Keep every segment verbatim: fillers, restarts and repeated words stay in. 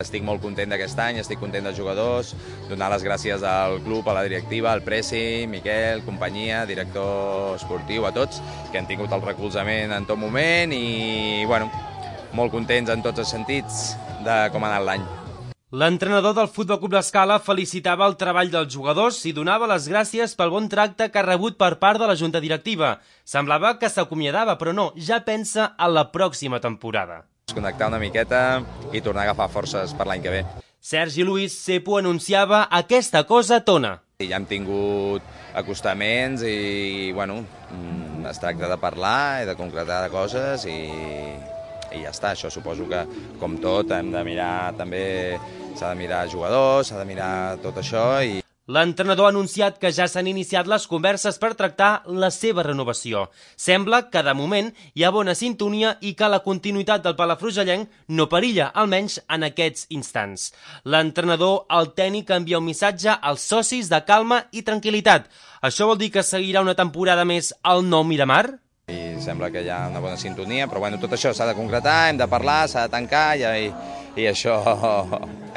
Estic molt content d'aquest any, estic content dels jugadors, donar les gràcies al club, a la directiva, al Presi, Miquel, companyia, director esportiu, a tots, que han tingut el recolzament en tot moment i, bueno, molt contents en tots els sentits de com ha anat l'any. L'entrenador del Futbol Club L'Escala felicitava el treball dels jugadors i donava les gràcies pel bon tracte que ha rebut per part de la junta directiva. Semblava que s'acomiadava, però no, ja pensa en la pròxima temporada. Connectar una miqueta i tornar a agafar forces per l'any que ve. Sergi Luis Sepo anunciava aquesta cosa tona. Ja hem tingut acostaments i, bueno, es tracta de parlar i de concretar coses i, i ja està. Això suposo que, com tot, hem de mirar també, s'ha de mirar jugadors, s'ha de mirar tot això i... L'entrenador ha anunciat que ja s'han iniciat les converses per tractar la seva renovació. Sembla que, de moment, hi ha bona sintonia i que la continuïtat del palafrugellenc no perilla, almenys en aquests instants. L'entrenador, el tècnic, envia un missatge als socis de calma i tranquil·litat. Això vol dir que seguirà una temporada més al Nou Miramar? I sembla que hi ha una bona sintonia, però bueno, tot això s'ha de concretar, hem de parlar, s'ha de tancar i, i això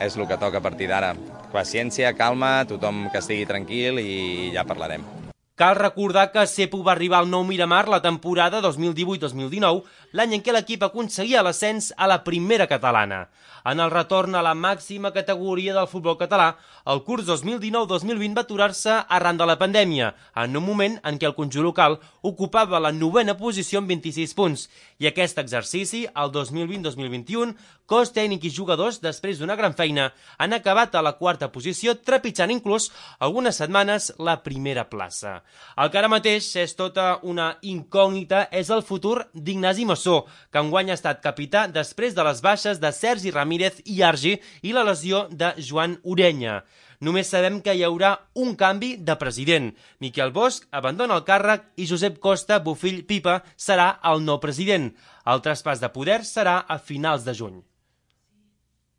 és el que toca a partir d'ara. Paciència, calma, tothom que estigui tranquil i ja parlarem. Cal recordar que Sepo va arribar al Nou Miramar la temporada dos mil divuit dos mil dinou, l'any en què l'equip aconseguia l'ascens a la primera catalana. En el retorn a la màxima categoria del futbol català, el curs dos mil dinou dos mil vint va aturar-se arran de la pandèmia, en un moment en què el conjunt local ocupava la novena posició amb vint-i-sis punts. I aquest exercici, el dos mil vint dos mil vint-i-u, cos tècnic i jugadors, després d'una gran feina, han acabat a la quarta posició, trepitjant inclús algunes setmanes la primera plaça. El que ara mateix és tota una incògnita és el futur d'Ignasi Massó, que enguany ha estat capità després de les baixes de Sergi Ramírez i Argi i la lesió de Joan Orenya. Només sabem que hi haurà un canvi de president. Miquel Bosch abandona el càrrec i Josep Costa Bofill Pipa serà el nou president. El traspàs de poder serà a finals de juny.